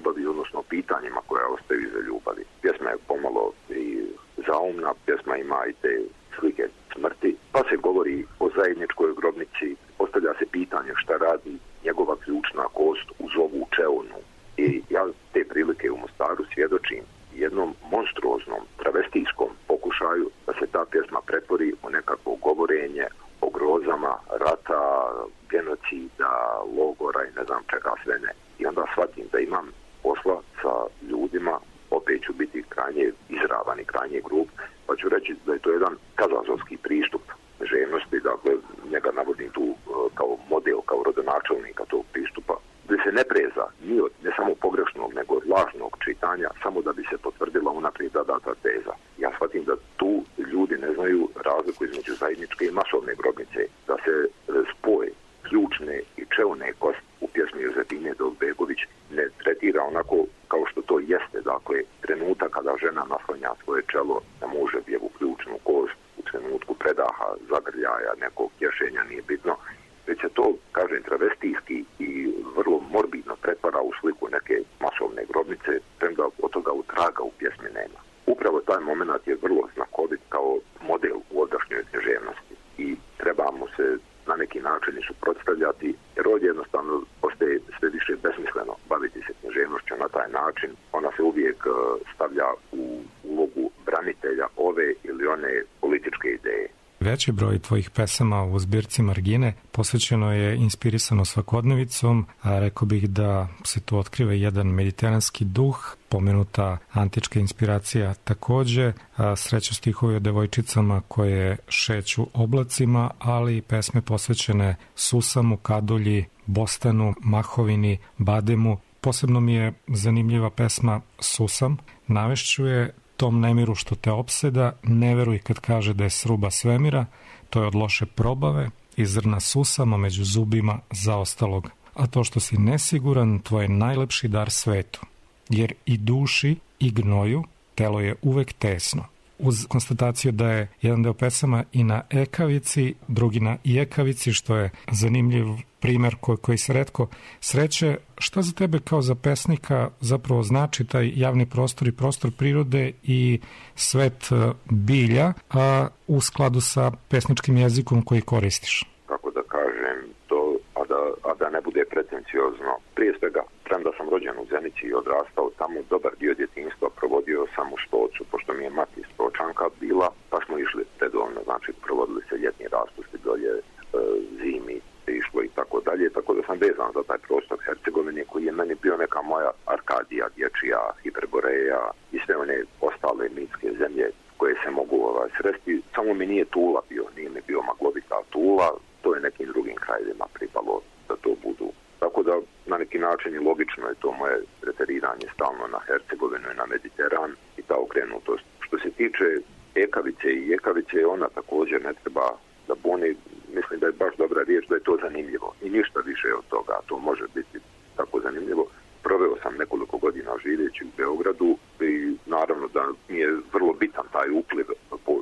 ljubavi, odnosno o pitanjima koja ostaju iza ljubavi. Pjesma je pomalo i zaumna, pjesma ima i te slike smrti, pa se govori o zajedničkoj grobnici, postavlja se pitanje šta radi njegova ključna kost uz ovu čeonu. I ja te prilike u Mostaru svjedočim jednom monstruoznom travestijskom pokušaju da se ta pjesma pretvori u nekakvo govorenje o grozama rata, genocida, logora i ne znam čega sve ne. I onda shvatim da imam posla sa ljudima, opet ću biti krajnje izravan i krajnje grub, pa ću reći da je to jedan kazazovski pristup željnosti, dakle njega navodim tu kao model, kao rodonačelnika tog pristupa, gdje se ne preza ni od ne samo pogrešnog, nego od lažnog čitanja, samo da bi se potvrdila unaprijed data teza. Ja shvatim da tu ljudi ne znaju razliku između zajedničke i masovne grobnice, da se spoj ključne i čeone kost u pjesmi Jozefine Dolbegović ne tretira onako kao što to jeste, dakle trenutak kada žena naslanja svoje čelo na muževu ključnu kost u trenutku predaha, zagrljaja, nekog tješenja, nije bitno, već se to, kažem, travestijski i vrlo morbidno pretvara u sliku neke masovne grobnice, premda od toga utraga u pjesmi nema. Upravo taj moment je vrlo znakovit kao model u ovdašnjoj književnosti i trebamo se na neki način suprotstavljati, jer ovdje jednostavno postaje sve više besmisleno baviti se književnošću na taj način. Ona se uvijek stavlja u ulogu branitelja ove ili one političke ideje. Veći broj tvojih pesama u zbirci Margine posvećeno je inspirisano svakodnevicom, a rekao bih da se tu otkriva jedan mediteranski duh, pomenuta antička inspiracija takođe, sreću stihovi o devojčicama koje šeću oblacima, ali i pesme posvećene Susamu, Kadulji, Bostanu, Mahovini, Bademu. Posebno mi je zanimljiva pesma Susam. Navešću je: tom nemiru što te opseda, ne veruj kad kaže da je sruba svemira, to je od loše probave i zrna susama među zubima zaostalog. A to što si nesiguran, tvoj je najlepši dar svetu, jer i duši i gnoju telo je uvek tesno. Uz konstataciju da je jedan deo pesama i na ekavici, drugi na ijekavici, što je zanimljiv primer koji se retko sreće. Šta za tebe kao za pesnika zapravo znači taj javni prostor i prostor prirode i svet bilja, a u skladu sa pesničkim jezikom koji koristiš? Kako da kažem to, a da ne bude pretenciozno. Prije svega, premda sam rođen u Zenici i odrastao tamo, dobar dio djetinjstva provodio sam u Stocu, pošto mi je mati Stočanka bila, pa smo išli redovno, znači provodili se ljetni raspusti dolje, zimi išlo i tako dalje, tako da sam vezan za taj prostor Hercegovine koji je meni bio neka moja Arkadija, dječija, Hiperboreja i sve one ostale mitske zemlje koje se mogu sresti. Samo mi nije Tula bio, nije mi bio maglovita Tula, to je nekim drugim krajevima pripalo da to budu. Tako da na neki način i logično je to moje referiranje stalno na Hercegovinu i na Mediteran i ta okrenutost. Što se tiče ekavice i jekavice, ona također ne treba da buni, mislim da je baš dobra riječ da je to zanimljivo i ništa više od toga, to može biti tako zanimljivo. Proveo sam nekoliko godina živeći u Beogradu i naravno da mi je vrlo bitan taj upliv po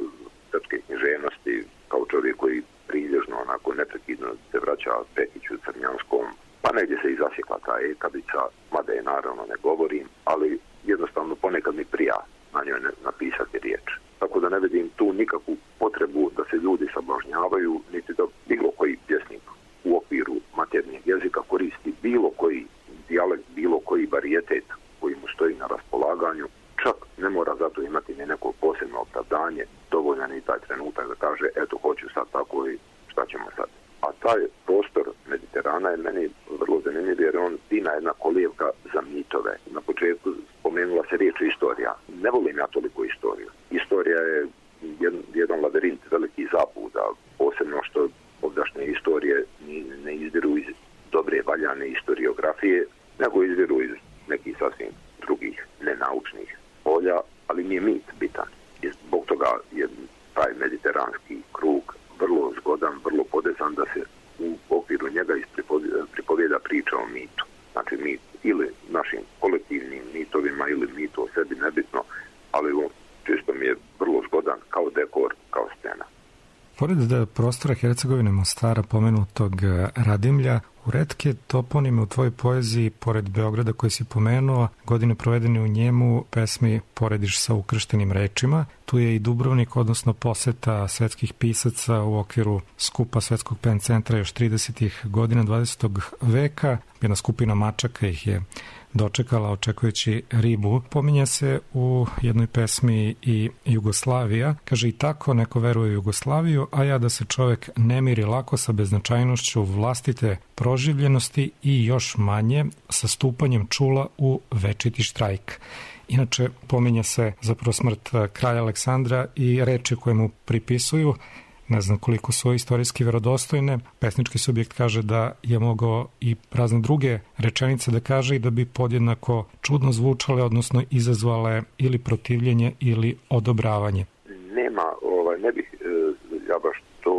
srpske književnosti kao čovjek koji prilježno onako neprekidno se vraća Pekiću, Crnjanskom, pa negdje se i zasjekla ta ekavica, mada je naravno ne govorim, ali jednostavno ponekad mi prija na njoj napisati riječ. Tako da ne vidim tu nikakvu potrebu da se ljudi sablažnjavaju, niti da bilo koji pjesnik u okviru maternjeg jezika koristi bilo koji dijalekt, bilo koji varijetet koji mu stoji na raspolaganju. Čak ne mora zato imati ni neko posebno opravdanje, dovoljan i taj trenutak da kaže eto hoću sad tako i šta ćemo sad. A taj prostor Mediterana je meni vrlo zanimljiv jer on fina jedna kolijevka za mitove. Na početku spomenula se riječ istorija. Ne volim ja toliko istoriju. Istorija je jedan labirint velikih zabuda, posebno što ovdašnje istorije ne izviru iz dobre valjane historiografije, nego izviru iz nekih sasvim drugih nenaučnih polja, ali nije mit bitan. I zbog toga je taj mediteranski krug vrlo zgodan, vrlo podesan da se u okviru njega pripovijeda priča o mitu. Znači mit ili našim kolektivnim mitovima ili mitu o sebi, nebitno, ali čisto mi je vrlo zgodan kao dekor, kao scena. Pored prostora Hercegovine, Mostara, pomenutog Radimlja, u retke toponime u tvojoj poeziji, pored Beograda koji si pomenuo, godine provedene u njemu, pesmi porediš sa ukrštenim rečima. Tu je i Dubrovnik, odnosno poseta svetskih pisaca u okviru skupa Svetskog pen centra još 30. godina 20. veka. Jedna skupina mačaka ih je dočekala očekujući ribu. Pominja se u jednoj pesmi i Jugoslavija. Kaže, i tako neko veruje u Jugoslaviju, a ja da se čovek ne miri lako sa beznačajnošću vlastite proživljenosti i još manje sa stupanjem čula u večiti štrajk. Inače, pominja se zapravo smrt kralja Aleksandra i reči koje mu pripisuju. Ne znam koliko su istorijski verodostojne. Pesnički subjekt kaže da je mogao i razne druge rečenice da kaže i da bi podjednako čudno zvučale, odnosno izazvale ili protivljenje ili odobravanje. Nema, ne bih ja baš to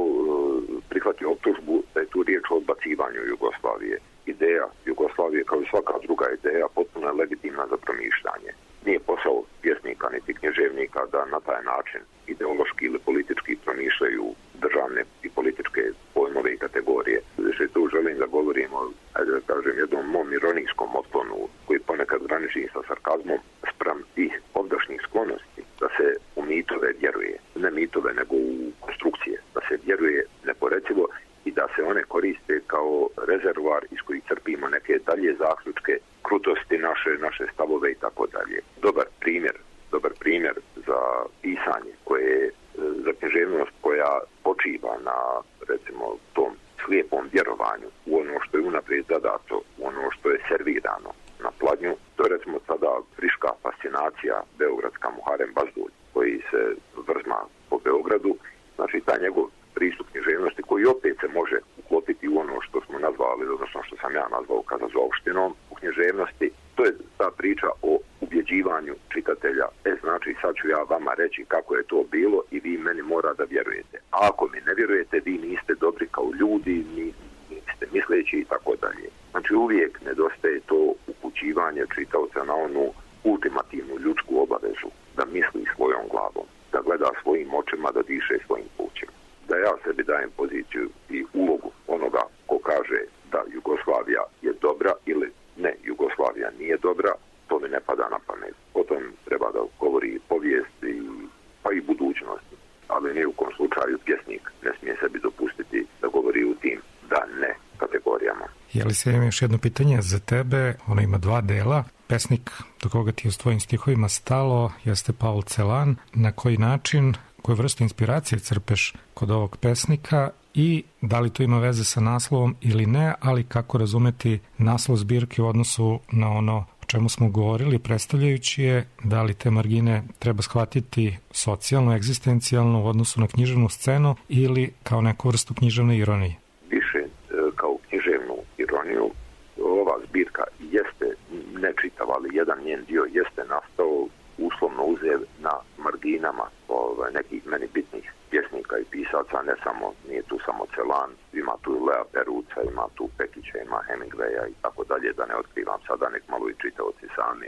prihvatio optužbu da je tu riječ o odbacivanju Jugoslavije. Ideja Jugoslavije, kao i svaka druga ideja, potpuno je legitimna za promišljanje. Nije posao pjesnika niti književnika da na taj način ideološki ili politički promišljaju državne i političke pojmove i kategorije. Znači, tu želim da govorimo, ajde da kažem, jednom mom ironijskom otklonu koji ponekad graniči sa sarkazmom spram tih ovdašnjih sklonosti da se u mitove vjeruje. Ne mitove, nego u konstrukcije. Da se vjeruje neporecivo i da se one koriste kao rezervoar iz kojih crpimo neke dalje zaključke, krutosti naše stavove i tako dalje. Dobar primjer za pisanje koje za književnost koja počiva na, recimo, tom slijepom vjerovanju u ono što je unaprijed zadato, u ono što je servirano na pladnju. To je, recimo, sada friška fascinacija beogradska Muharem Bazdulj koji se vrzma po Beogradu. Znači, taj njegov pristup književnosti koji opet se može uklopiti u ono što smo nazvali, odnosno što sam ja nazvao kazazoopštinom u književnosti. To je ta priča o ubjeđivanju čitatelja. Znači, sad ću ja vama reći kako je to bilo i vi meni mora da vjerujete. A ako mi ne vjerujete, vi niste dobri kao ljudi, niste misleći i tako dalje. Znači, uvijek nedostaje to upućivanje čitaoca na onu ultimativnu ljudsku obavezu da misli svojom glavom, da gleda svojim očima, da diše svojim plućima. Da ja sebi dajem poziciju i ulogu onoga ko kaže da Jugoslavija je dobra ili ne, Jugoslavija nije dobra, to mi ne pada na pamet. O tom treba da govori povijest pa i budućnost. Ali ni u kom slučaju pjesnik ne smije sebi dopustiti da govori u tim da ne kategorijama. Jelisa, imam još jedno pitanje za tebe. Ono ima dva dela. Pesnik do koga ti je s tvojim stihovima stalo jeste Paul Celan. Na koji način, koju vrstu inspiracije crpeš kod ovog pesnika i da li to ima veze sa naslovom ili ne, ali kako razumeti naslov zbirke u odnosu na ono o čemu smo govorili, predstavljajući je da li te margine treba shvatiti socijalno, egzistencijalno u odnosu na književnu scenu ili kao neku vrstu književne ironije? Više kao književnu ironiju. Ova zbirka jeste nečitava, ali jedan njen dio jeste nastao uslovno uzev na marginama nekih meni bitnih pjesnika i pisaca, ne samo, nije tu samo Celan, ima tu Lea Peruca, ima tu Pekića, ima Hemingwaya i tako dalje, da ne otkrivam sada, nek malo i čitaoci sami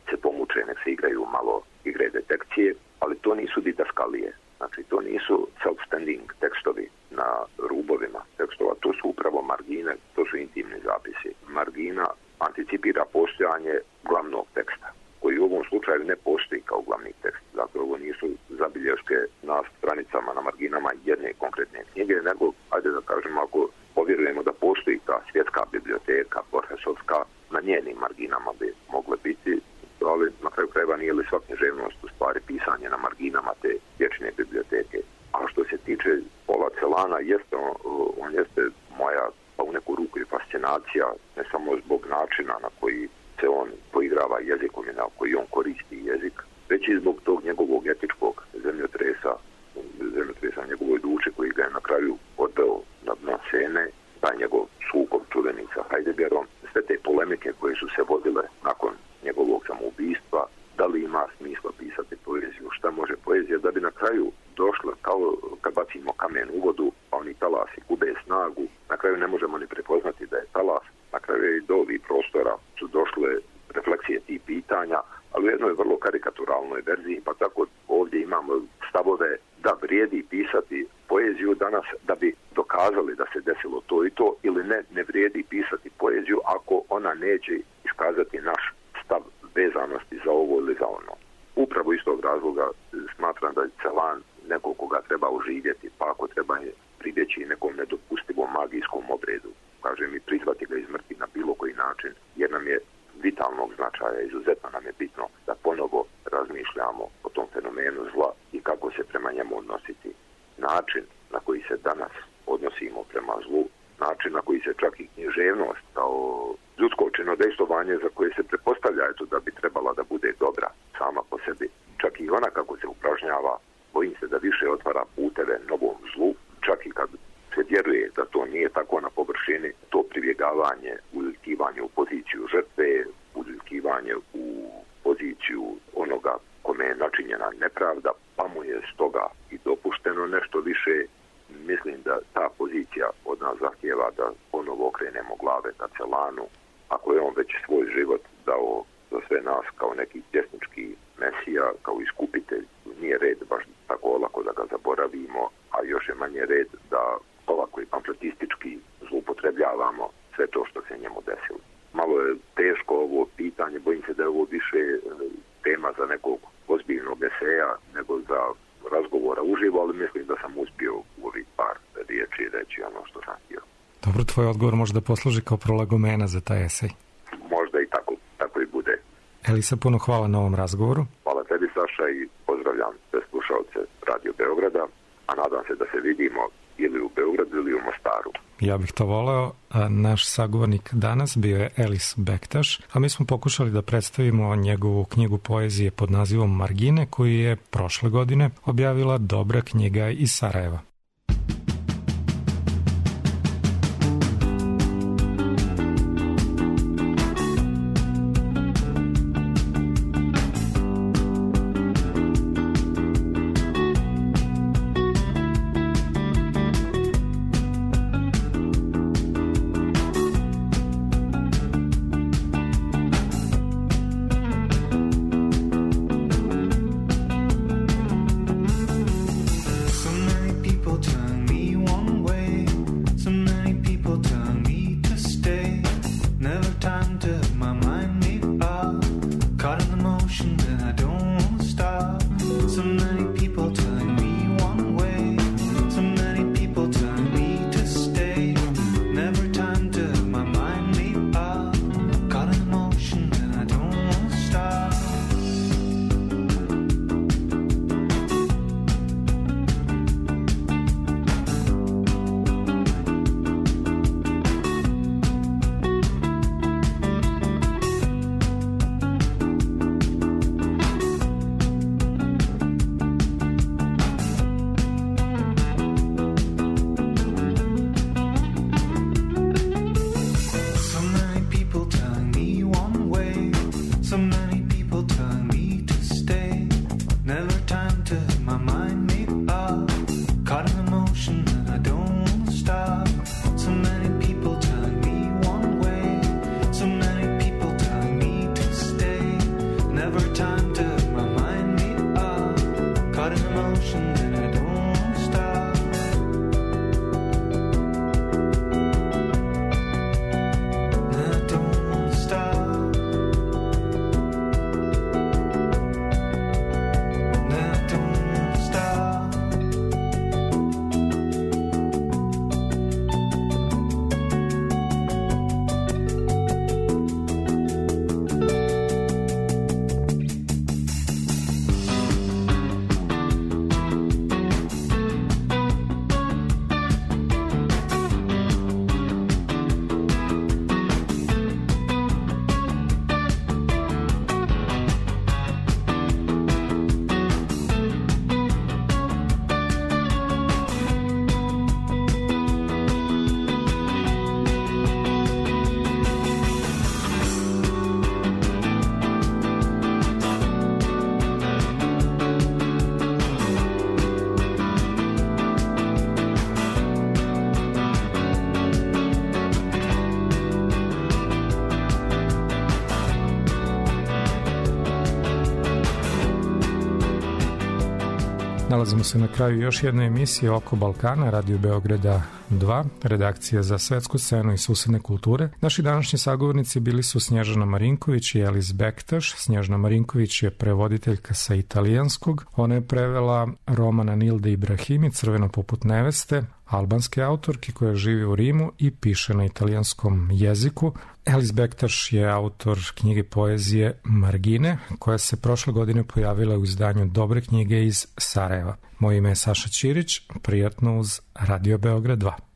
se pomuče, nek se igraju malo igre detekcije, ali to nisu didaskalije, znači to nisu self-standing tekstovi na rubovima tekstova, to su upravo margine, to su intimni zapisi. Margina anticipira postojanje glavnog teksta, koji u ovom slučaju ne postoji kao glavni tekst. Dakle, ovo nisu zabilješke na stranicama, na marginama jedne konkretne knjige, nego, ajde da kažemo, ako povjerujemo da postoji ta svjetska biblioteka, Borgesovska, na njenim marginama bi mogle biti, ali na kraju krajeva nije li sva književnost u stvari pisanje na marginama te vječne biblioteke. A što se tiče Paula Celana, on jeste moja, pa u neku ruku i fascinacija, ne samo zbog načina na koji se on poigrava jezikom i na koji on koristi jezik, već i zbog tog njegovog etičkog zemljotresa njegovoj duši koji ga je na kraju odveo na dno scene, taj njegov sukob čuveni sa Heideggerom, sve te polemike koje su se vodile nakon njegovog samoubistva, da li ima smisla pisati poeziju, šta može poezija, da bi na kraju došla kao kad bacimo kamen u vodu, pa oni talasi gube snagu, na kraju ne možemo ni prepoznati da je talas, na kraju i do ovih prostora su došle refleksije tih pitanja, ali u jednoj vrlo karikaturalnoj verziji, pa tako ovdje imamo stavove da vrijedi pisati poeziju danas da bi dokazali da se desilo to i to, ili ne vrijedi pisati poeziju ako ona neće iskazati naš stav vezanosti za ovo ili za ono. Upravo iz tog razloga smatram da je Celan neko koga treba oživjeti, pa ako treba je pribjeći nekom nedopustivom magijskom obredu, kažem, i prizvati ga iz mrtvi na bilo koji način, jer nam je vitalnog značaja, izuzetno nam je bitno da ponovo razmišljamo o tom fenomenu zla i kako se prema njemu odnositi. Način na koji se danas odnosimo prema zlu, način na koji se čak i književnost kao ljudsko činodejstvovanje za koje se pretpostavlja da bi trebala da bude dobra sama po sebi, čak i ona kako se upražnjava, bojim se da više otvara puteve novom zlu, čak i kad se vjeruje da to nije tako na površini, to pribjegavanje, uljkivanje u poziciju žrtve, uljkivanje u poziciju onoga kome je načinjena nepravda, pa mu je stoga i dopušteno nešto više. Mislim da ta pozicija od nas zahtijeva da ponovo okrenemo glave ka Celanu. Ako je on već svoj život dao za sve nas kao neki pjesnički mesija, kao iskupitelj, nije red baš tako olako da ga zaboravimo, a još je manje red da ovako i pamfletistički zloupotrebljavamo sve to što se njemu desilo. Malo je teško ovo pitanje, bojim se da je ovo više tema za nekog ozbiljnog eseja nego za razgovora uživo, ali mislim da sam uspio u ovih par riječi reći ono što sam htio. Dobro, tvoj odgovor može da posluži kao prolagomena za taj esej. Možda i tako i bude. Elisa, puno hvala na ovom razgovoru. Hvala tebi, Saša, i pozdravljam sve slušalce Radio Beograda, a nadam se da se vidimo ili u Beogradu ili u Mostaru. Ja bih to voleo. Naš sagovornik danas bio je Elis Bektaš, a mi smo pokušali da predstavimo njegovu knjigu poezije pod nazivom Margine, koju je prošle godine objavila Dobra knjiga iz Sarajeva. Nalazimo se na kraju još jedne emisije Oko Balkana, Radio Beograda 2, redakcija za svetsku scenu i susedne kulture. Naši današnji sagovornici bili su Snježana Marinković i Elis Bektaš. Snježana Marinković je prevoditeljka sa italijanskog. Ona je prevela romana Nilde Ibrahimi, Crveno poput neveste, albanske autorke koja živi u Rimu i piše na italijanskom jeziku. Elis Bektaš je autor knjige poezije Margine, koja se prošle godine pojavila u izdanju Dobre knjige iz Sarajeva. Moje ime je Saša Ćirić, prijatno uz Radio Beograd 2.